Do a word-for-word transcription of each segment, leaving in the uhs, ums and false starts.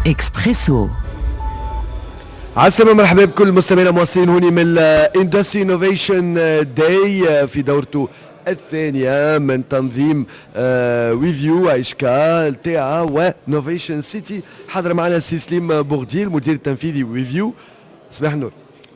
اكسبريسو. عسلامة، مرحبا بكل المستمعين المواصلين هوني من ال Industry Innovation Day في دورته الثانية من تنظيم WeView ايشكا تي و Novation City. حاضر معنا سي سليم بوغديل، المدير التنفيذي WeView. صباح النور.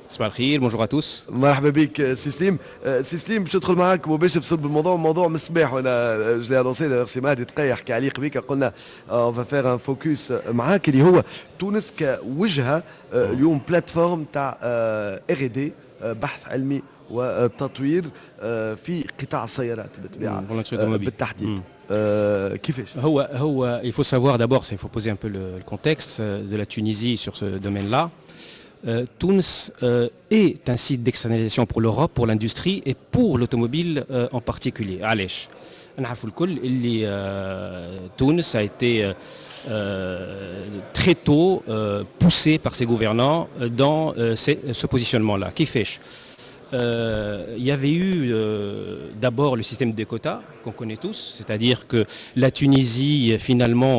صباح الخير، bonjour à tous. مرحبا بك سي سليم. سي سليم، باش ندخل معاك مباشر في صلب الموضوع، موضوع من الصباح وانا je l'ai annoncé، سي مهدي تقي يحكي عليه قبيك، قلنا on va faire un focus معاك اللي هو تونس كوجهه اليوم، plateforme تاع R&D، بحث علمي وتطوير في قطاع السيارات بالطبيعه بالتحديد. آه كيفاش؟ هو هو il faut savoir d'abord, il faut poser un peu le, le contexte de la Tunisie sur ce domaine-là. Euh, Tunis euh, est un site d'externalisation pour l'Europe, pour l'industrie et pour l'automobile euh, en particulier. علاش؟ نعرفوا الكل اللي تونس a été très tôt poussé par ses gouvernants dans ce positionnement-là. كيفاش؟ Il y avait eu euh, d'abord le système des quotas qu'on connaît tous, c'est-à-dire que la Tunisie finalement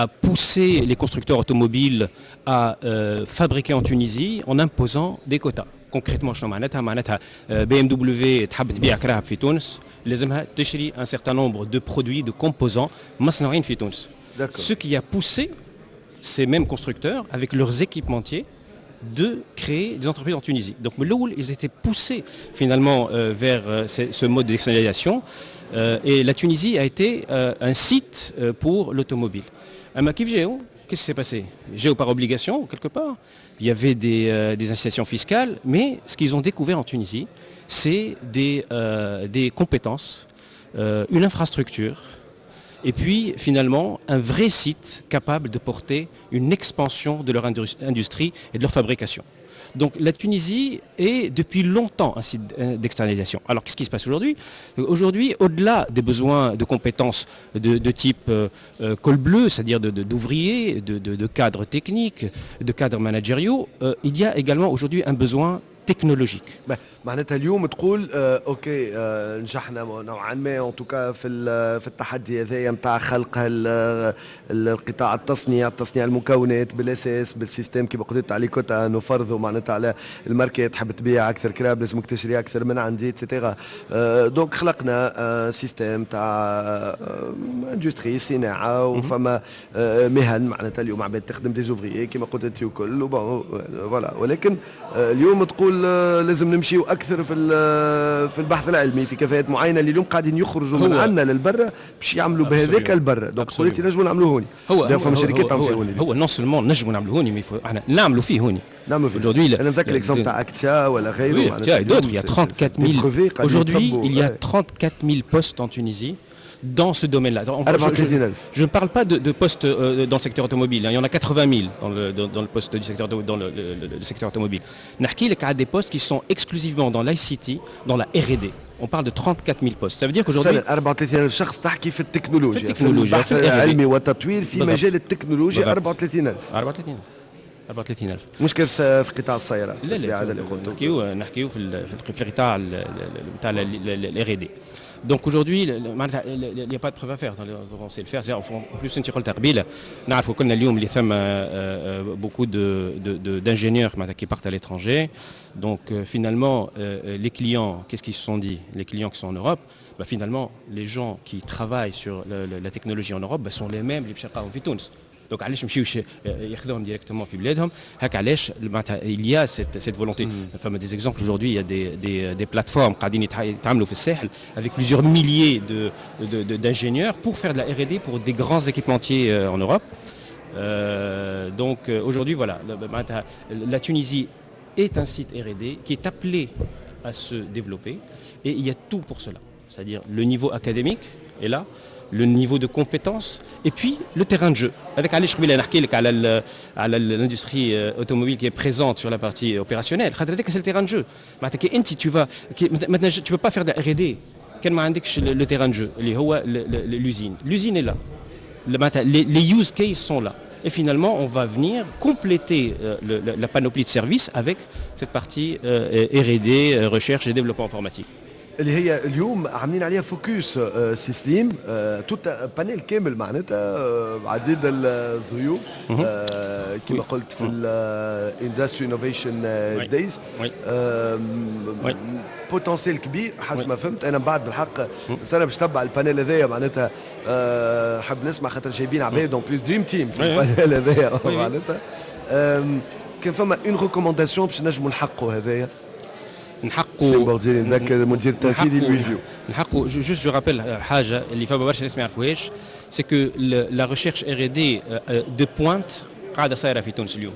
a poussé les constructeurs automobiles à euh, fabriquer en Tunisie en imposant des quotas. Concrètement, شنو معناتها؟ معناتها B M W تحب تبيع كراهب في تونس، لازمها تشري un certain nombre de produits, de composants مصنوعين في تونس. Ce qui a poussé ces mêmes constructeurs avec leurs équipementiers de créer des entreprises en Tunisie. Donc من الأول, ils étaient poussés finalement euh, vers euh, ce, ce mode d'externalisation euh, et la Tunisie a été euh, un site euh, pour l'automobile. أما كيف جاو, qu'est-ce qui s'est passé؟ جاو par obligation, quelque part. Il y avait des, euh, des incitations fiscales, mais ce qu'ils ont découvert en Tunisie, c'est des, euh, des compétences, euh, une infrastructure, et puis finalement un vrai site capable de porter une expansion de leur industrie et de leur fabrication. Donc la Tunisie est depuis longtemps un site d'externalisation. Alors qu'est-ce qui se passe aujourd'hui؟ Aujourd'hui, au-delà des besoins de compétences de type euh, euh, col bleu, c'est-à-dire d'ouvriers, de, de, cadres techniques, de cadres managériaux, euh, il y a également aujourd'hui un besoin technologique. معناتها اليوم تقول آه OK، آه نجحنا نوعا ما en tout cas في في التحدي هذايا نتاع خلق القطاع التصنيع، تصنيع المكونات بالاساس بال système كيما قلت على quotas، انه فرضوا معناتها على الماركات، تحب تبيع اكثر كراهب لازمك تشري اكثر من عندي et cetera. آه donc خلقنا آه système تاع industrie، صناعه، وفما آه مهن، معناتها اليوم عباد تخدم، des ouvriers كيما قلت انت وكل، voilà. ولكن آه اليوم تقول آه لازم نمشيو اكثر في في البحث العلمي في كفاءات معينه اللي اليوم قاعدين يخرجوا من عندنا للبرا باش يعملوا بهذاك البرا، donc قلت نجموا نعملوه هوني. هو فما شركات تعمل فيه هوني. هو non seulement نجموا نعملوه هوني، mais احنا نعملوا فيه هوني. نعملوا فيه aujourd'hui. انا نذكر l'exemple تاع اكتيا ولا غيره. Oui, et d'autres, il y a trente-quatre mille aujourd'hui, il y a trente-quatre mille postes en Tunisie dans ce domaine-là. Je, je, je, ne parle pas de, de postes euh, dans le secteur automobile, hein. Il y en a quatre-vingt mille dans le, dans, dans le poste du secteur, dans le, le, le secteur automobile. نحكي لك على des postes qui sont exclusivement dans l'I C T, dans la R et D. On parle de trente-quatre mille postes. Ça veut dire qu'aujourd'hui أربعة وثلاثين ألف شخص تحكي في التكنولوجيا؟ في التكنولوجيا، في البحث العلمي والتطوير في مجال التكنولوجيا أربعة وثلاثين ألف. أربعة وثلاثين ألف، أربعة وثلاثين ألف. مش كيف في قطاع السيارات؟ لا لا، هذا اللي قلته. نحكيو نحكيو في في القطاع نتاع ال R et D. Donc aujourd'hui, il n'y a pas de preuve à faire, on sait le faire. En plus, انت قلت قبيله، نعرفوا كنا اليوم اللي ثم beaucoup de d'ingénieurs qui partent à l'étranger. Donc finalement, les clients, qu'est-ce qu'ils se sont dit؟ Les clients qui sont en Europe, bah, finalement, les gens qui travaillent sur la technologie en Europe, bah, sont les mêmes اللي باش يلقاهم في تونس. Donc علاش مشيوش ياخذوهم directement في بلادهم؟ هكا علاش معناتها il y a cette, cette volonté. فما des exemples aujourd'hui, il y a des, des, des plateformes قاعدين يتعاملوا في الساحل avec plusieurs milliers de, de, d'ingénieurs pour faire de la R et D pour des grands équipementiers en Europe. Euh, donc aujourd'hui, voilà, la Tunisie est un site R et D qui est appelé à se développer et il y a tout pour cela. C'est-à-dire le niveau académique est là, le niveau de compétence et puis le terrain de jeu. Avec علاش قبيله نحكي لك على على l'industrie automobile qui est présente sur la partie opérationnelle. خاطر هذاك c'est le terrain de jeu. معناتها كي انت tu vas maintenant, tu peux pas faire de R et D كان ما عندكش le terrain de jeu اللي هو l'usine. L'usine est là. Les, les use cases sont là. Et finalement, on va venir compléter euh, le, la panoplie de services avec cette partie euh, R et D, recherche et développement informatique. اللي هي اليوم عاملين عليها focus سي سليم، tout un panel كامل معناتها عديد الضيوف كما قلت في ال Industry Innovation Days، potentiel كبير حسب ما فهمت انا. من بعد بالحق بس انا باش نتبع ال panel هذايا، معناتها نحب نسمع خاطر جايبين عباد en plus dream team في ال panel هذايا. معناتها كان فما une recommandation باش نجموا نحققوا هذايا؟ نحققوا سي بورديلي، نذكر المدير التنفيذي لويفيو. نحققوا، juste je rappelle حاجة اللي فما برشا ناس ما يعرفوهاش، c'est que la recherche R et D de pointe قاعدة صايرة في تونس اليوم.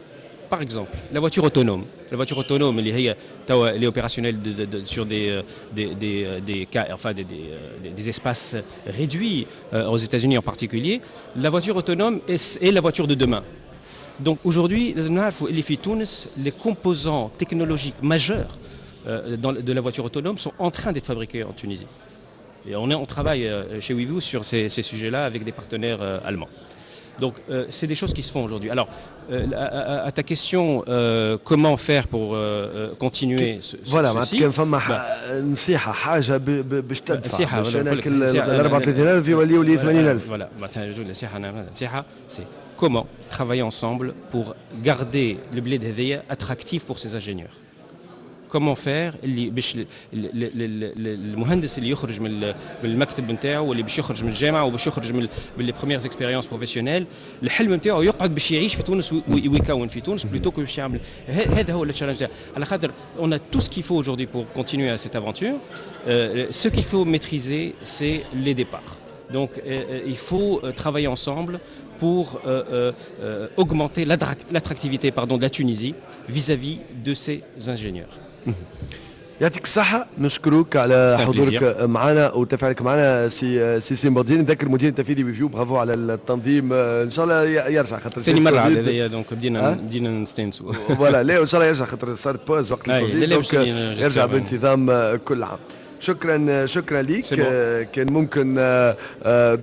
Par exemple, la voiture autonome. La voiture autonome, اللي هي توا elle est opérationnelle de, de, de, sur des, des, des, des cas, enfin des, des, des espaces réduits, euh, aux États-Unis en particulier. La voiture autonome est, est la voiture de demain. Donc aujourd'hui, اللي في تونس les composants technologiques majeurs euh, dans, de la voiture autonome sont en train d'être fabriqués en Tunisie. Et on, est, on travaille euh, chez WeView sur ces, ces sujets-là avec des partenaires euh, allemands. Donc euh, c'est des choses qui se font aujourd'hui. Alors euh, à, à, à, ta question, euh, comment faire pour continuer ce, Voilà. كان فما نصيحة، حاجة باش تدفع باش انا ال أربعة وثلاثين ألف يوليوا لي ثمانين ألف. Voilà، مثلا نصيحة نصيحة c'est comment travailler ensemble pour garder البلاد هذيا attractif pour ces ingénieurs. Comment faire اللي باش المهندس اللي يخرج من المكتب نتاعو واللي باش يخرج من الجامعة وباش يخرج من les premières expériences professionnelles، الحلم نتاعو يقعد باش يعيش في تونس ويكون في تونس plutôt que باش يعمل. هذا هو ال challenge، على خاطر on a tout ce qu'il faut aujourd'hui pour continuer à cette aventure. Euh, ce qu'il faut maîtriser, c'est les départs. Donc euh, il faut travailler ensemble pour euh, euh, augmenter l'attractivité, pardon, de la Tunisie vis-à-vis de ces ingénieurs. يعطيك الصحة، نشكرك على حضورك معنا وتفاعلك معنا سي سي سليم بورديلي، نذكر المدير التنفيذي ويفيو. برافو على التنظيم، ان شاء الله يرجع خاطر ثاني مرة على donc بدينا بدينا نستانسوا. voilà، لا ان شاء الله يرجع خاطر صارت pause وقت الكوفيد، donc يرجع بانتظام كل عام. شكرا شكرا ليك. كان ممكن.